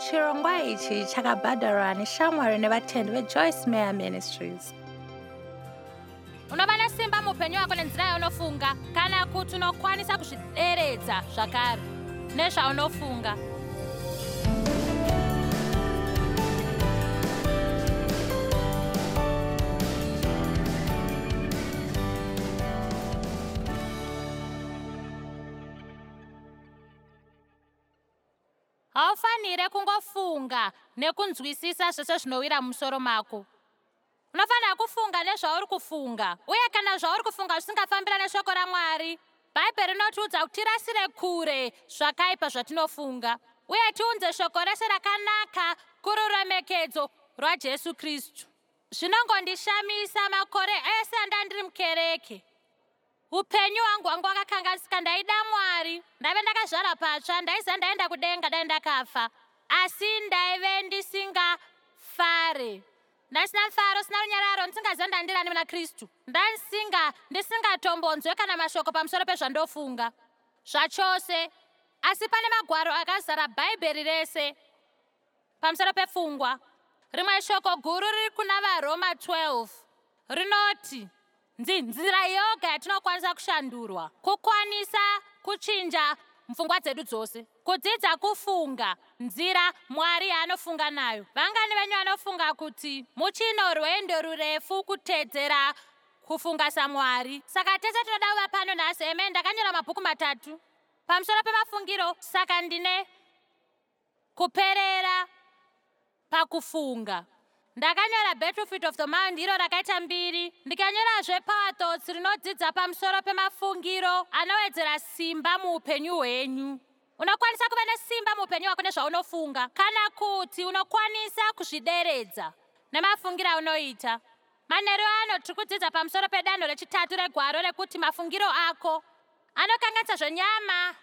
Chirongwa ichi chakabhadharwa neshamwari nevatendi veJoyce Meyer Ministries. Unova nesimba muupenyu hwako nenzira yaunofunga kana kuti unokwanisa kuzvideredza zvakare nezvaunofunga. Haufanire kungofunga nekunzwisisa zvese zvinowira mumusoro mako. Unofanira kufunga nezvauri kufunga, uye kana zvauri kufunga zvisingafambira neshoko raMwari, Bhaibheri rinotiudza kuti tirasire kure zvakaipa zvatinofunga uye tiunze shoko rese rakanaka kururemekedzo rwaJesu Kristu. Zvinongondishamisa makore ese andandiri mukereke. Upenyu hwangu hwanga hwakakanganisika ndaida Mwari ndaive ndakazvarwa patsva ndaiziva ndaenda kudenga dai ndakafa asi ndaive ndisingafare ndasina mufaro sina runyararo ndisingaziva ndandirani muna Kristu ndandisinga ndisingatombonzwe kana mashoko pamusoro pezvandofunga zvachose asi pane magwaro akazara bhaibheri rese Pamusoro pepfungwa, rimwe shoko guru riri kuna vaRoma 12 rinoti, Nzi, nzira yoga yatinokwanisa kushandurwa kukwanisa kuchinja mupfungwa dzedu dzose, kudzidza kufunga nzira Mwari yaanofunga nayo. Vangani venyu vanofunga kuti muchino rwendo rurefu kutedzera kufunga saMwari? Saka tese tinoda kuva pano nhasi. Amen. Ndakanyora mabhuku matatu pamusoro pemafungiro, saka ndine Kuperera pakufunga. Ndakanyora Battlefield of the Mind iro rakaita mbiri, ndikanyorazve Power Thoughts rinodzidza pamusoro pemafungiro anowedzera simba muupenyu hwenyu. Unokwanisa kuva nesimba muupenyu hwako nezvaunofunga kana kuti unokwanisa kuzvideredza nemafungiro aunoita. Manheru ano tiri kudzidza pamusoro pedanho rechitatu regwaro rekuti mafungiro ako anokanganisa zvenyama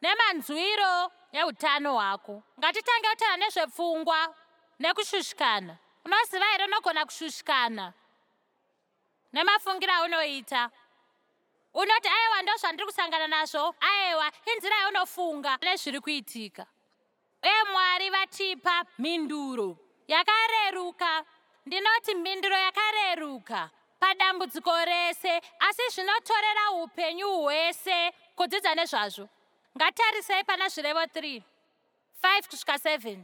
Nemanzwiro eutano hwako. Ngatitange kutaura nezvepfungwa nekushushikana. Unoziva here unogona kushushikana nemafungiro aunoita. Unoti aiwa ndozvandiri kusangana nazvo, aiwa inzira yaunofunga nezviri kuitika. Uye Mwari vatipa mhinduro yakareruka. Ndinoti mhinduro yakareruka padambudziko rese, asi zvinotorera upenyu hwese kudzidza nezvazvo. Ngatarisei pana Zvirevo 3, 5 kusvika 7.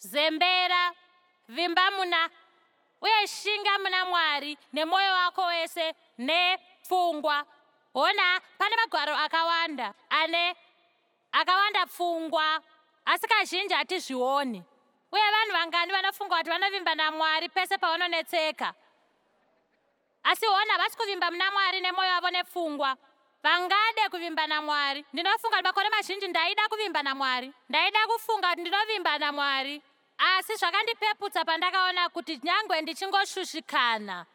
Zembera, vimba muna uye shinga muna Mwari nemwoyo wako wese nepfungwa. Hona, pane magwaro akawanda ane akawanda pfungwa, asi kazhinji hatizvioni. Uye vanhu vangani vanofunga kuti vanovimba naMwari pese pavanonetseka? Asi hona havasi kuvimba muna Mwari nemwoyo wavo nepfungwa. Vangade kuvimba naMwari. Ndinofunga kuti makore mazhinji ndaida kuvimba naMwari. Ndaida kufunga kuti ndinovimba naMwari. Asi zvakandipeputsa pandakaona kuti nyangwe ndichingoshushikana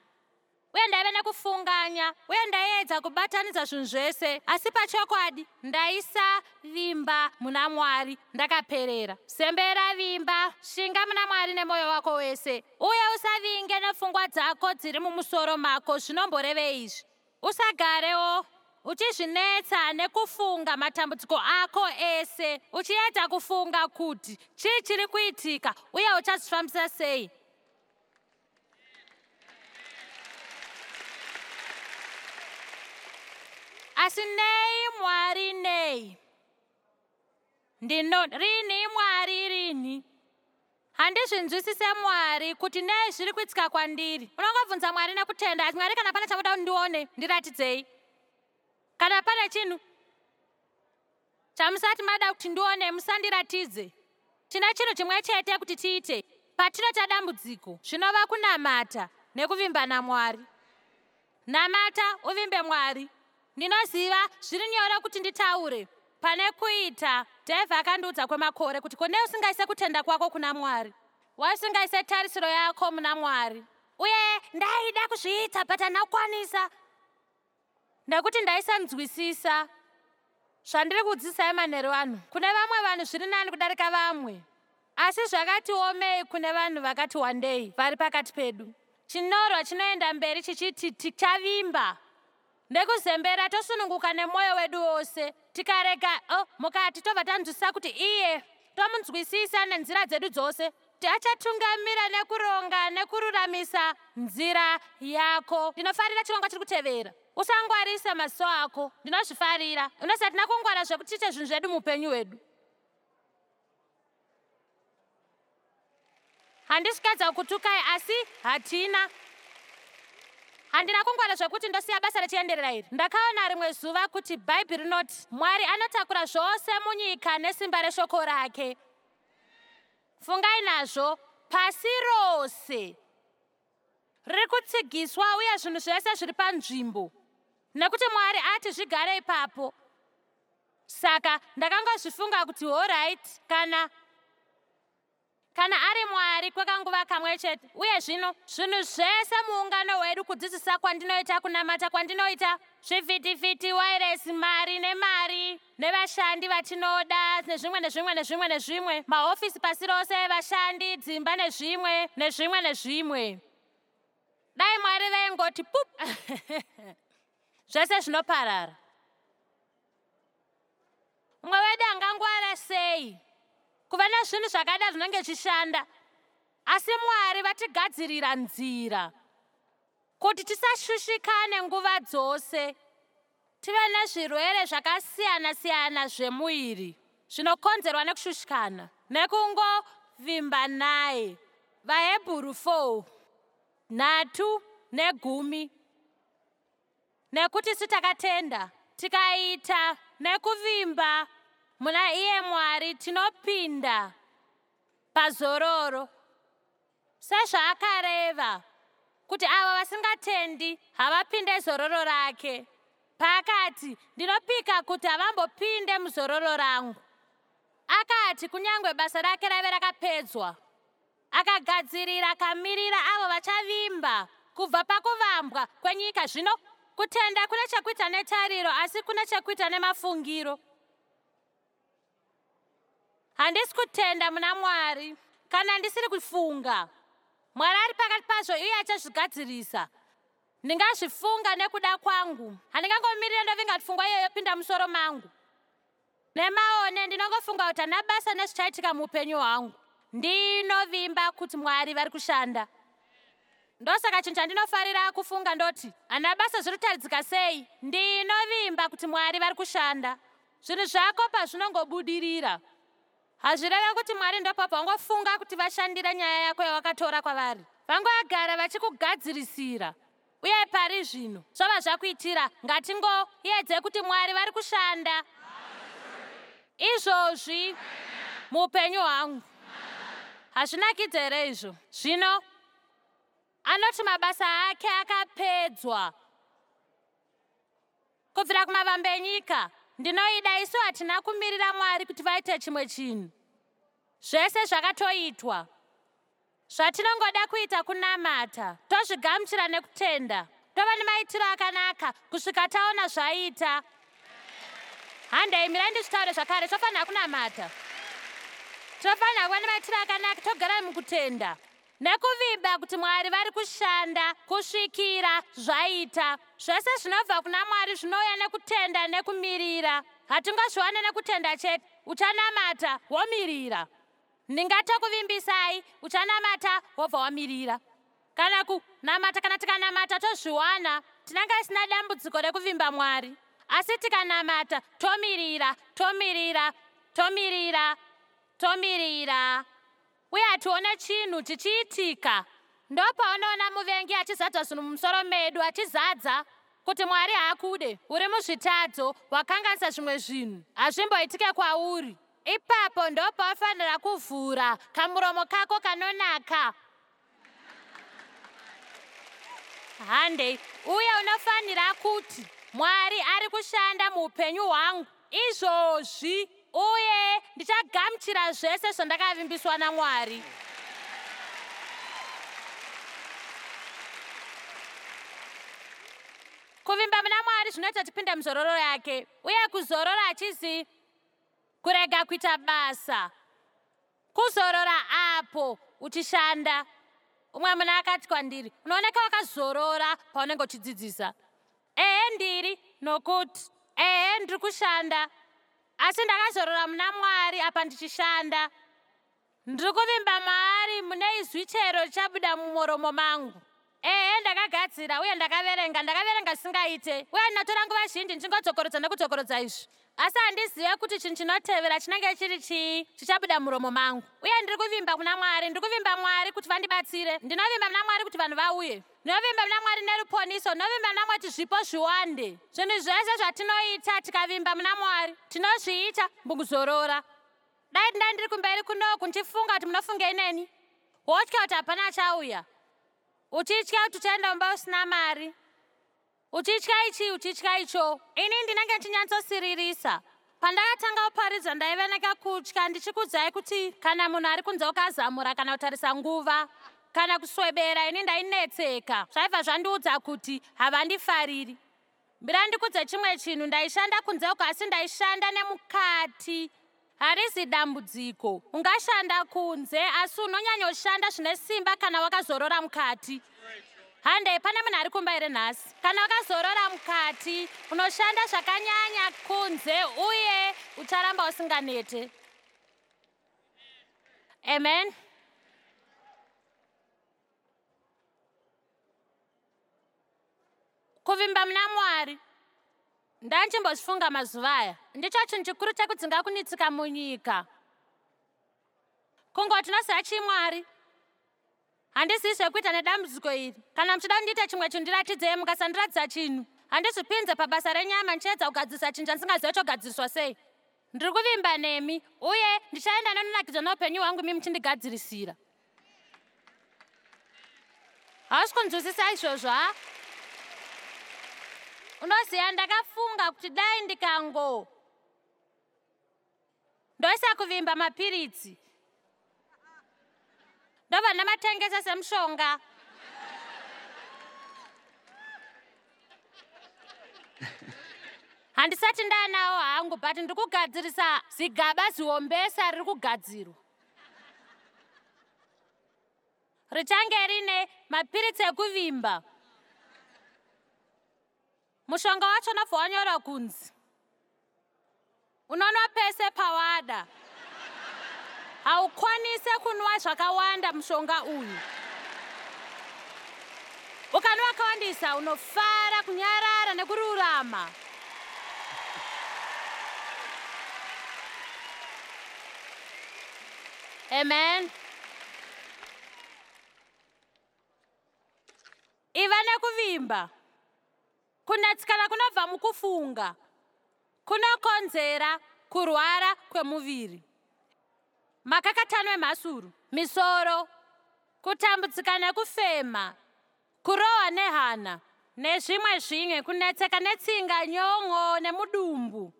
uye ndaive nekufunganya uye ndaiedza kubatanidza zvinhu zvese, asi pachokwadi ndaisavimba muna Mwari ndakaperera. Sembera, vimba, shinga muna Mwari nemwoyo wako wese. Uye usavinge nepfungwa dzako dziri mumusoro mako. Zvinomborevei izvi? Usagarewo uchizvinetsa nekufunga matambudziko ako ese, uchiedza kufunga kuti chii chiri kuitika uye uchazvifambisa sei. Asi nei, Mwari, nei? Ndino, rini, Mwari, rini? Handizvinzwisise Mwari kuti nei zviri kuitika kwandiri. Unongobvunza Mwari nekutenda, asi Mwari kana pane chamuda kuti ndione, ndiratidzei. Kana pane chinhu chamusati mada kuti ndione, musandiratidze. Tine chinhu chimwe chete kuti tiite patinoita dambudziko, zvinova kunamata nekuvimba naMwari. Namata uvimbe Mwari. Ndinoziva zviri nyore kuti nditaure pane kuita. Dave akandiudza kwemakore kuti ko nei usingaise kutenda kwako kuna Mwari? Why usingaise tarisiro yako muna Mwari? Uye ndaida kuzviita but handina kukwanisa nekuti ndaisanzwisisa zvandiri kudzidzisai manheru ano. Kune vamwe vanhu zviri nani kudarika vamwe. Asi zvakati omei kune vanhu vakati wandei vari pakati pedu. Chinyorwa chinoenda mberi chichiti tichavimba. Nekuzembera tosununguka nemwoyo wedu wose, tikarega oh, mukati tobva tanzwisisa kuti iye tomunzwisisa nenzira dzedu dzose. Achatungamira nekuronga nekururamisa nzira yako. Ndinofarira chirongwa chiri kutevera. Usangwarisa maziso ako. Ndinozvifarira. Unoziva hatina kungwara zvekuti tiite zvinhu zvedu muupenyu hwedu. Handisi kuedza kukutukai asi hatina. Handina kungwara zvekuti ndosiya basa richienderera iri. Ndakaona rimwe zuva kuti Bhaibheri rinoti Mwari anotakura zvose munyika nesimba reshoko rake. Fungai nazvo, pasi rose riri kutsigiswa uye zvinhu zvese zviri panzvimbo nekuti Mwari ati zvigare ipapo. Saka ndakangozvifunga kuti horaiti kana Kana ari Mwari kwekanguva kamwe chete. Uye zvino, zvinhu zvese muungano hwedu, kudzidzisa kwandinoita, kunamata kwandinoita, zvivhitivhiti, wairesi, mari nemari, nevashandi vatinoda, nezvimwe nezvimwe nezvimwe nezvimwe, mahofisi pasi rose, vashandi, dzimba nezvimwe, nezvimwe nezvimwe. Dai Mwari vaingoti pup! Zvese zvinoparara. Mumwe wedu angangwara sei kuva nezvinhu zvakada zvinenge zvichishanda, asi Mwari vatigadzirira nzira kuti tisashushikane nguva dzose, tive nezvirwere zvakasiyana-siyana zvemuviri zvinokonzerwa nekushushikana nekungovimba naye. VaHebhuru 4, nhatu negumi. Nekuti isu takatenda, tikaita nekuvimba muna iye Mwari, tinopinda pazororo, sezvaakareva kuti avo vasingatendi havapinde zororo rake, paakati, Ndinopika kuti havambopinde muzororo rangu. Akati kunyangwe basa rake raive rakapedzwa, Akagadzirira akamirira avo vachavimba kubva pakuvambwa kwenyika. Zvino, kutenda kune chekuita netariro, asi kune chekuita nemafungiro. Handisi kutenda muna Mwari kana ndisiri kufunga. Mwari ari pakati pazvo uye achazvigadzirisa. Ndingazvifunga nekuda kwangu. Handingangomirire ndovinga kuti pfungwa iyoyo yopinda musoro mangu. Nemaone ndinongofunga kuti handina basa nezvichaitika muupenyu hwangu. Ndinovimba kuti Mwari vari kushanda. Ndosaka chinhu chandinofarira kufunga ndoti handina basa zviri kutaridzika sei, ndinovimba kuti Mwari vari kushanda. Zvinhu zvako pazvinongobudirira, hazvireve kuti Mwari ndopabva wangofunga kuti vashandira nyaya yako yawakatora kwavari. Vangogara vachikugadzirisira. Uye pari zvino zvava zvakuitira, ngatingoedze kuti Mwari vari kushanda izvozvi muupenyu hwangu. Hazvinakidze here izvo? Zvino anoti mabasa ake akapedzwa kubvira kumavambo enyika. Ndinoida isu hatina kumirira Mwari kuti vaite chimwe chinhu. Zvese zvakatoitwa. Zvatinongoda kuita kunamata, tozvigamuchira nekutenda, tova nemaitiro akanaka kusvika taona zvaita. Handei, mirai ndizvitaure zvakare, tofanira kunamata. Tinofanira kuva nemaitiro akanaka, togara mukutenda nekuvimba kuti Mwari vari kushanda kusvikira zvaita. Zvese zvinobva kuna Mwari zvinouya nekutenda nekumirira. Hatingozviwane nekutenda chete. Uchanamata womirira. Ndingatokuvimbisai, uchanamata wobva wamirira. Kana ku, namata, kana tikanamata tozviwana, tinenge tisina dambudziko rekuvimba Mwari. Asi tikanamata, tomirira, tomirira, tomirira, tomirira, uye hatione chinhu chichiitika, ndopaunoona muvengi achizadza zvinhu mumusoro medu, achizadza kuti Mwari haakude, uri muzvitadzo, wakanganisa zvimwe zvinhu, hazvimboitike kwauri. Ipapo ndopawafanira kuvhura kamuromo kako kanonaka. Handei. Uye unofanira kuti, Mwari ari kushanda muupenyu hwangu izvozvi, uye ndichagamuchira zvese zvandakavimbiswa naMwari. Kuvimba muna Mwari zvinoita tipinde muzororo yake, uye kuzorora hachizi Kurega kuita basa. Kuzorora apo uchishanda. Umwe munhu akati kwandiri, unooneka wakazorora paunenge uchidzidzisa. Ehe, ndiri nokuti ehe, ndiri kushanda, asi ndakazorora muna Mwari apa ndichishanda. Ndiri kuvimba maari mune izwi chero richabuda mumuromo mangu. Ehe, ndakagadzira uye ndakaverenga, ndakaverenga zvisingaite, uye ndinotora nguva zhinji ndichingodzokorodza nekudzokorodza izvi, asi handizive kuti chinhu chinotevera chinenge chiri chii chichabuda muromo mangu. Uye ndiri kuvimba kuna Mwari, ndiri kuvimba Mwari kuti vandibatsire. Ndinovimba muna Mwari kuti vanhu vauye. Ndinovimba muna Mwari neruponiso. Ndinovimba muna Mwari kuti zvipo zviwande. Zvinhu zvese zvatinoita tikavimba muna Mwari, tinozviita mukuzorora. Dai ndai ndiri kumberi kunoku ndichifunga kuti munofungei neni, wotya kuti hapana achauya, uchitya kuti uchaenda mumba usina mari, uchitya ichi, uchitya icho. Ini ndinenge ndichinyatsosiririsa. Pandakatanga kuparidza ndaiva nekakutya, ndichikudzai kuti kana munhu ari kunze ukazamura kana kutarisa nguva kana kuswebera, ini ndainetseka. Zvaibva zvandiudza kuti havandifariri. Mbira ndikudze chimwe chinhu, ndaishanda kunze uko, asi ndaishanda nemukati. Harizi dambudziko. Ungashanda kunze, asi unonyanyoshanda zvine simba kana wakazorora mukati. Handei, pane munhu ari kumba here nhasi? Kana wakazorora mukati, unoshanda zvakanyanya kunze uye ucharamba usinganete. Amen. Kuvimba muna Mwari. Ndandichimbozvifunga mazuva aya. Ndicho chinhu chikuru chekudzinga kunetsika munyika. Kungoti unoziva chii Mwari? Handizivi zvekuita nedambudziko iri. Kana muchida kundiita chimwe chinhu, ndiratidzei. Mukasandiratidza chinhu, handizvipinze pabasa renyama ndichiedza kugadzirisa chinhu chandingaziva chogadziriswa sei. Ndiri kuvimba nemi, uye ndichaenda nenonakidzwa neupenyu hwangu imi muchindigadzirisira. Hausi kunzwisisa izvozvo, ha? Unoziva, ndakafunga kuti dai ndikango ndoisa kuvimba mapiritsi, ndobva ndamatengesa semushonga. Handisati ndaanawo hangu, but ndiri kugadzirisa zigaba zihombesa riri kugadzirwa. Richange rine mapiritsi ekuvimba. Mushonga wacho unobva wanyorwa kunzi unonwa pese pawada. Haukwanise kunwa zvakawanda mushonga uyu. Ukanwa wakawandisa unofara, kunyarara nekururama. Amen. Iva nekuvimba. Kunetsekana kunobva mukufunga kunokonzera kurwara kwemuviri, makakatano emhasuru, misoro, kutambudzika nekufema, kurohwa nehana nezvimwe zvimwe, kunetseka netsinga, nyon'o nemudumbu,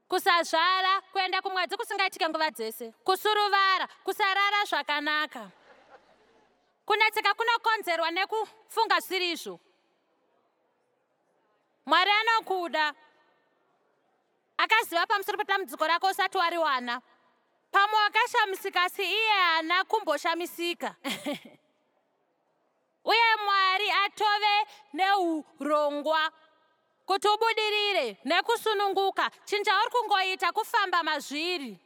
kusazvara, kuenda kumwedzi kusingaitike nguva dzese, kusuruvara, kusarara zvakanaka. Kunetseka kunokonzerwa nekufunga zvisiri. Mwari anokuda. Akaziva pamusoro pedambudziko rako usati wariwana. Pamwe wakashamisika, asi iye haana kumboshamisika. Uye Mwari atove neurongwa kuti ubudirire nekusununguka. Chinhu chauri kungoita kufamba mazviri,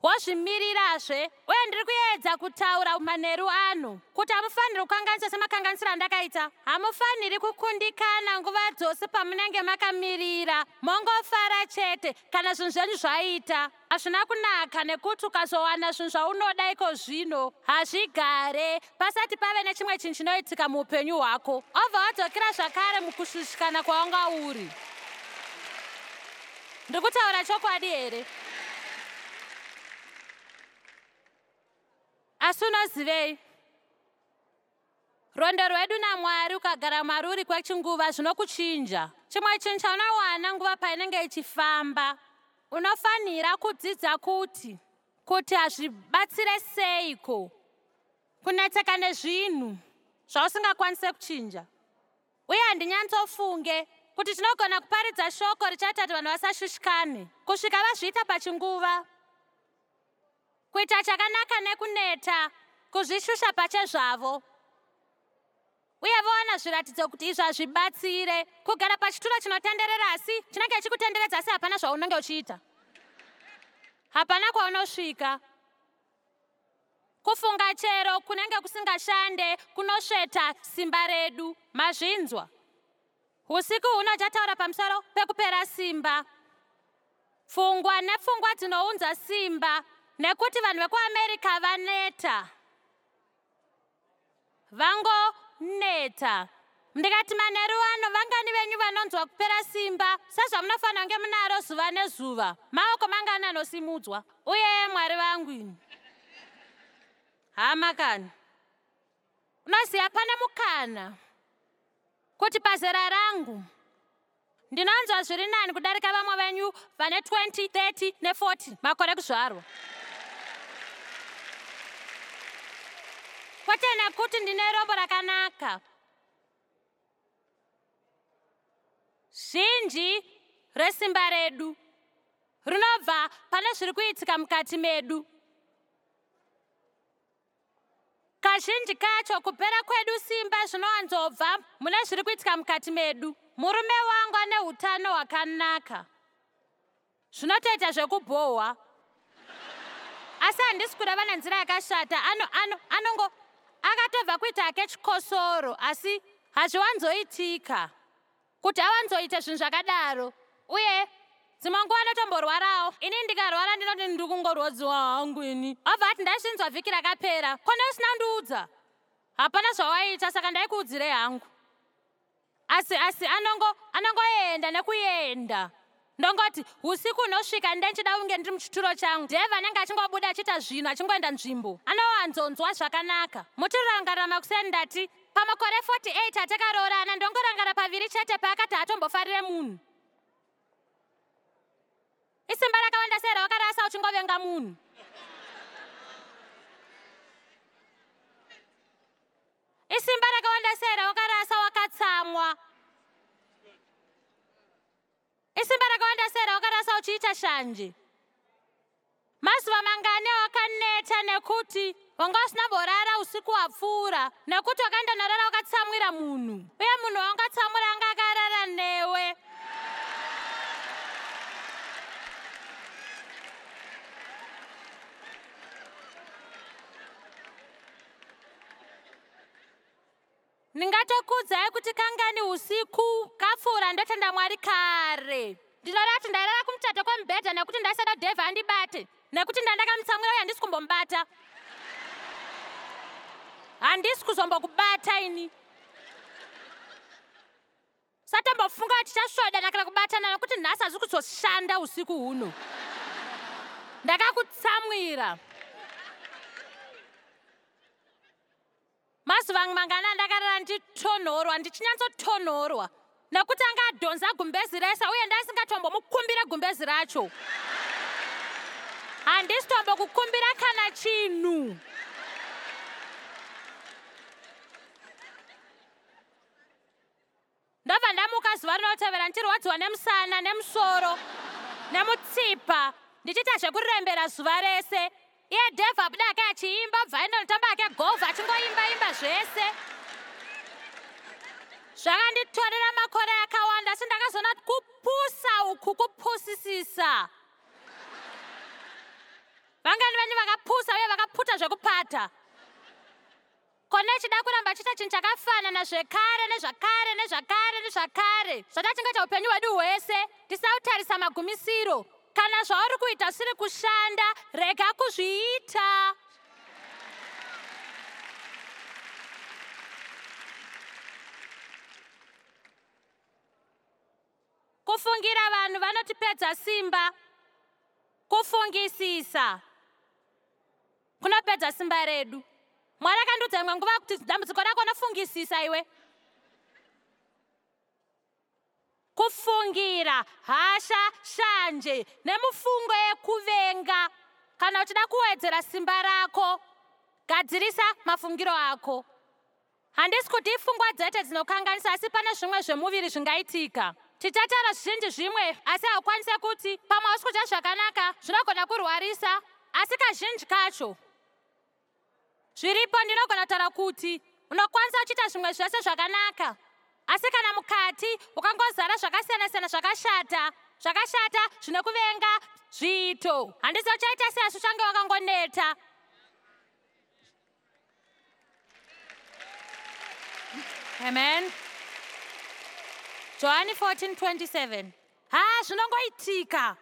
wozvimirirazve. Uye ndiri kuedza kutaura manheru ano kuti hamufaniri kukanganisa semakanganisiro andakaita. Hamufaniri kukundikana nguva dzose pamunenge makamirira. Mongofara chete kana zvinhu zvenyu zvaita. Hazvina kunaka nekuti ukazowana zvinhu zvaunoda iko zvino, hazvigare pasati pave nechimwe chinhu chinoitika muupenyu hwako, obva wadzokera zvakare mukushushikana kwawanga uri. Ndiri kutaura chokwadi here? Asi unozivei, rwendo rwedu naMwari, ukagara maruri kwechinguva, zvinokuchinja. Chimwe chinhu chaunowana nguva painenge ichifamba, unofanira kudzidza kuti hazvibatsire seiko kunetseka nezvinhu zvausingakwanise kuchinja. Uye handinyatsofunge kuti tinogona kuparidza shoko richaita kuti vanhu vasashushikane kusvika vazviita pachinguva. Kuita chakanaka nekuneta, kuzvishusha pachezvavo. Uye vowana zviratidzo kuti izvi hazvibatsire. Kugara pachituro chinotenderera asi chinenge chikutenderedza asi hapana zvaunenge uchiita. Hapana kwaunosvika. Kufunga chero kunenge kusingashande kunosveta simba redu. Mazvinzwa. Usiku huno chataura pamusoro pekupera simba. Pfungwa nepfungwa dzinounza simba nekuti vanhu vekuAmerica vaneta. Vangoneta. Ndikati manheru ano vangani venyu vanonzwa kupera simba sezvamunofanira kunge munaro zuva nezuva. Maoko mangani anosimudzwa. Uye Mwari vangu ini. Hama kani. Unoziva pane mukana kuti pazera rangu ndinonzwa zviri nani kudarika vamwe venyu vane 20, 30 ne40 makore kuzvarwa. Kwete nekuti ndine rombo rakanaka. Zhinji resimba redu rinobva pane zviri kuitika mukati medu. Kazhinji kacho kupera kwedu simba zvinowanzobva mune zviri kuitika mukati medu. Murume wangu ane utano hwakanaka. Zvinotoita zvekubhohwa. Asi handisi kureva nenzira yakashata. Ano ano anongo akatobva kuita hake chikosoro asi hazviwanzoitika kuti awanzoita zvinhu zvakadaro. Uye dzimwe nguva anotomborwarawo. Ini ndikarwara ndinoti ndiri kungorwadziwa hangu ini. Obva ati ndaizvinzwa vhiki rakapera. Kone usina kundiudza. Hapana zvawaiita saka ndaikuudzirei hangu. Asi asi anongo anongoenda nekuenda. Ndongoti usiku unosvika ndenchida kunge ndiri muchituro changu. Dave anenge achingobuda achiita zvinhu achingoenda nzvimbo. Anowanzonzwa zvakanaka. Muchirangarira makuseni ndati pamakore 48 atakaroorana ndongorangara paviri chete paakati haatombofarire munhu. Isimba rakawanda sei rawakarasa uchingovenga munhu? Isimba rakawanda sei rawakarasa wakatsamwa? Isimba rakawanda sei rawakarasa uchiita shanje? Mazuva mangani awakaneta nekuti wanga usina borara usiku hwapfuura nekuti wakaenda norara wakatsamwira munhu uye munhu waungatsamwira anga akarara newe. Ndingatokuudzai kuti kangani usiku kapfuura ndotenda Mwari kare. Ndinoreva kuti ndairara kumuchato kwemubhedha nekuti ndaisada Dave andibate nekuti ndandakamutsamwira uye handisi kumbomubata. Handisi kuzombokubata ini. Satombofunga kuti tichasvodana kana kubatana nekuti nhasi hazvi kuzoshanda usiku huno. Ndakakutsamwira. Mazuva mangani andakarara ndichitonhorwa, ndichinyatsotonhorwa nekuti anga adhonza gumbezi rese uye ndaisingatombomukumbire gumbezi racho. Handisi tombokukumbira kana chinhu. Ndobva ndamuka zuva rinotevera ndichirwadziwa nemusana, nemusoro, nemutsipa, ndichiita zvekurembera zuva rese. Iye Dave abuda ake achiimba, obva aenda notamba ake golf achingoimba imba zvese. Zvakanditorera makore akawanda asi ndakazoona kuti kupusa uku kupusisisa. Vangani venyu vakapusa uye vakaputa zvekupata? Kona achida kuramba achiita chinhu chakafanana zvekare nezvakare nezvakare nezvakare zvatachingoita upenyu hwedu hwese tisina kutarisa magumisiro. Kana zvauri kuita zvisiri kushanda, rega kuzviita. Kufungira vanhu vanotipedza simba. Kufungisisa kunopedza simba redu. Mwari akandiudza imwe nguva kuti dambudziko rako unofungisisa iwe. Kufungira, hasha, shanje nemufungo yekuvenga. Kana uchida kuwedzera simba rako, gadzirisa mafungiro ako. Handisi kuti ipfungwa dzete dzinokanganisa asi pane zvimwe zvemuviri zvingaitika. Tichataura zvizhinji zvimwe asi haukwanise kuti pamwe hausi kudya zvakanaka zvinogona kurwarisa asi kazhinji kacho zviripo ndinogona kutaura kuti Unokwanisa uchiita zvimwe zvese zvakanaka, asi kana mukati ukangozara zvakasiyana-siyana zvakashata, zvakashata zvinokuvenga zviito, handisi uchaita sei asi uchange wakangoneta. Amen. Johani 14:27. Ha, zvinongoitika.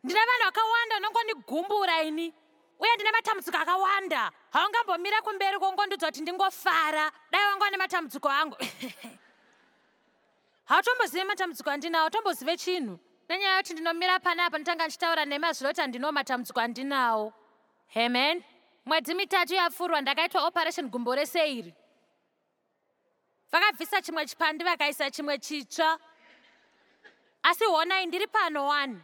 Ndine vanhu vakawanda vanongonigumbura ini, uye ndine matambudziko akawanda. Haungambomira kumberi kwongondiudza kuti ndingofara. Dai wanga une matambudziko angu. Hautombozive matambudziko andinawo, hautombozive chinhu. Nenyaya yekuti ndinomira panapa ndotanga ndichitaura nemazviro kuti handinawo matambudziko andinawo. Amen. Mwedzi mitatu yapfuurwa ndakaitwa operation gumbo rese iri. Vakabvisa chimwe chipandi vakaisa chimwe chitsva. Asi honai ndiri pano wani.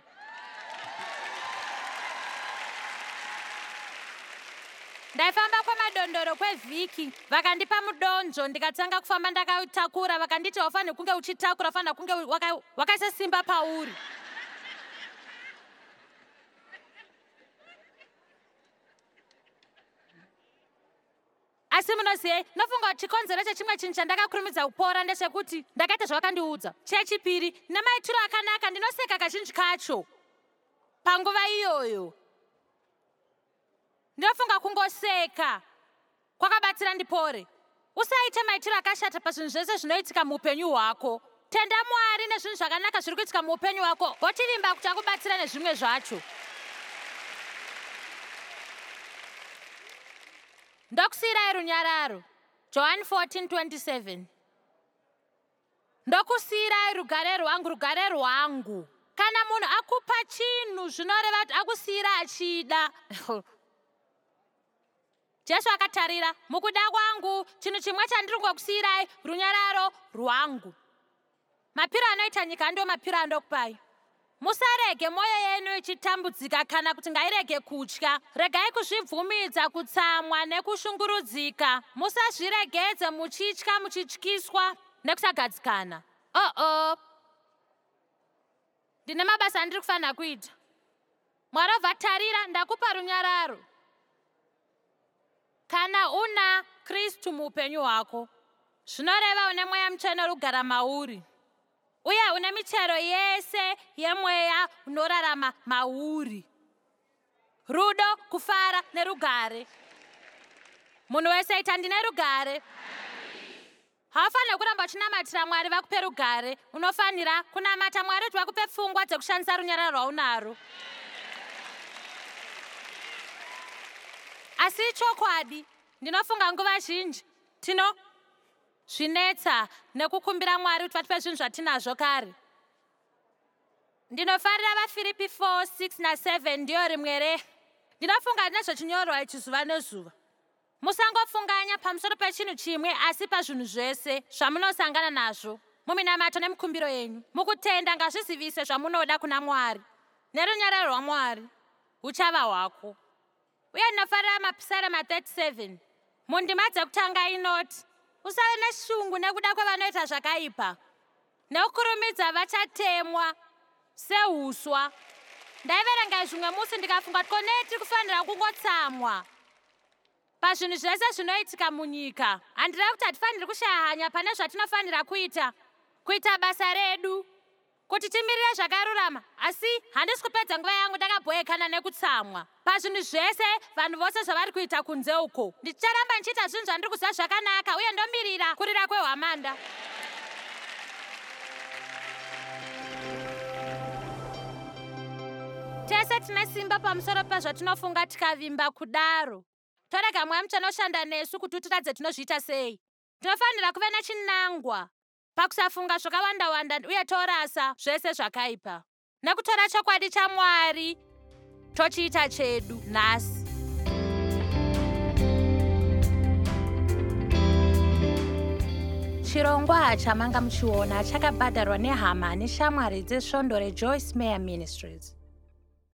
Ndaifamba kwemadondoro kwevhiki, vakandipa mudonzvo ndikatanga kufamba ndakautakura, vakanditi haufaniri kunge uchitakura, ufanira kunge wakaisa simba pauri. Asi munozivei, ndinofunga kuti chikonzero chechimwe chinhu chandakakurumidza kupora ndechekuti ndakaita zvavakandiudza. Chechipiri, nemaitiro akanaka ndinoseka kazhinji kacho panguva iyoyo. Ndinofunga kungoseka kwakabatsira ndipore. Usaite maitiro akashata pazvinhu zvese zvinoitika muupenyu hwako. Tenda Mwari nezvinhu zvakanaka zviri kuitika muupenyu hwako, wochivimba kuti akubatsira nezvimwe zvacho. Ndokusiyirai runyararo. Johani 14:27. Ndokusiyirai rugare rwangu, rugare rwangu. Kana munhu akupa chinhu zvinoreva kuti akusiyira achida. Jesu akatarira, mukuda kwangu, chinhu chimwe chandiri kungokusiyirai, runyararo rwangu. Mapiro anoita nyika ndiwo mapiro andokupai. Musarege mwoyo yenyu ichitambudzika kana kuti ngairege kutya. Regai kuzvibvumidza kutsamwa nekushungurudzika. Musazviregedze muchitya muchityiswa nekusagadzikana. Oh-oh. Ndine mabasa andiri kufanira kuita. Mwari obva tarira, ndakupa runyararo. Kana una Kristu muupenyu hwako, zvinoreva une Mweya Mutsvene uri kugara mauri, uye une michero yese yemweya unorarama mauri. Rudo, kufara nerugare. Munhu wese ita ndine rugare. Haufaniri kuramba uchinamatira Mwari vakupe rugare. Unofanira kunamata Mwari kuti vakupe pfungwa dzekushandisa runyararo rwaunaro. Asi ichokwadi, ndinofunga nguva zhinji tino zvinetsa nekukumbira Mwari kuti vatipe zvinhu zvatinazvo kare. Ndinofarira vaFiripi 4, 6 na7 ndiyo rimwe re. Ndinofunga nezvechinyorwa ichi zuva nezuva. Musangofunganya pamusoro pechinhu chimwe asi pazvinhu zvese zvamunosangana nazvo muminamato nemikumbiro yenyu. Mukutenda ngazvizivise zvamunoda kuna Mwari, nerunyararo rwaMwari huchava hwako. Uye ndinofarira Mapisarema 37 mundima dzekutanga inoti, Usave neshungu nekuda kwevanoita zvakaipa, nekukurumidza vachatemwa sehuswa. Ndaiverenga izvi mumwe musi ndikafunga kuti ko nei tiri kufanira kungotsamwa pazvinhu zvese zvinoitika munyika. Handirevi kuti hatifaniri kushaya hanya pane zvatinofanira kuita, kuita basa redu, kuti timirire zvakarurama, asi handisi kupedza nguva yangu ndakabhoekana nekutsamwa pazvinhu zvese vanhu vose zvavari kuita kunze uko. Ndicharamba ndichiita zvinhu zvandiri kuziva zvakanaka uye ndomirira kurira kwehwamanda. Tese tine simba pamusoro pezvatinofunga tikavimba kudaro. Torega Mweya Mutsvene oshanda nesu kuti utiratidze tinozviita sei. Tinofanira kuve nechinangwa pakusafunga zvakawanda-wanda uye torasa zvese zvakaipa. Nekutora chokwadi chaMwari tochiita chedu nhasi. Chirongwa chamanga muchiona chakabhadharwa nehama neshamwari dzesvondo reJoyce Meyer Ministries.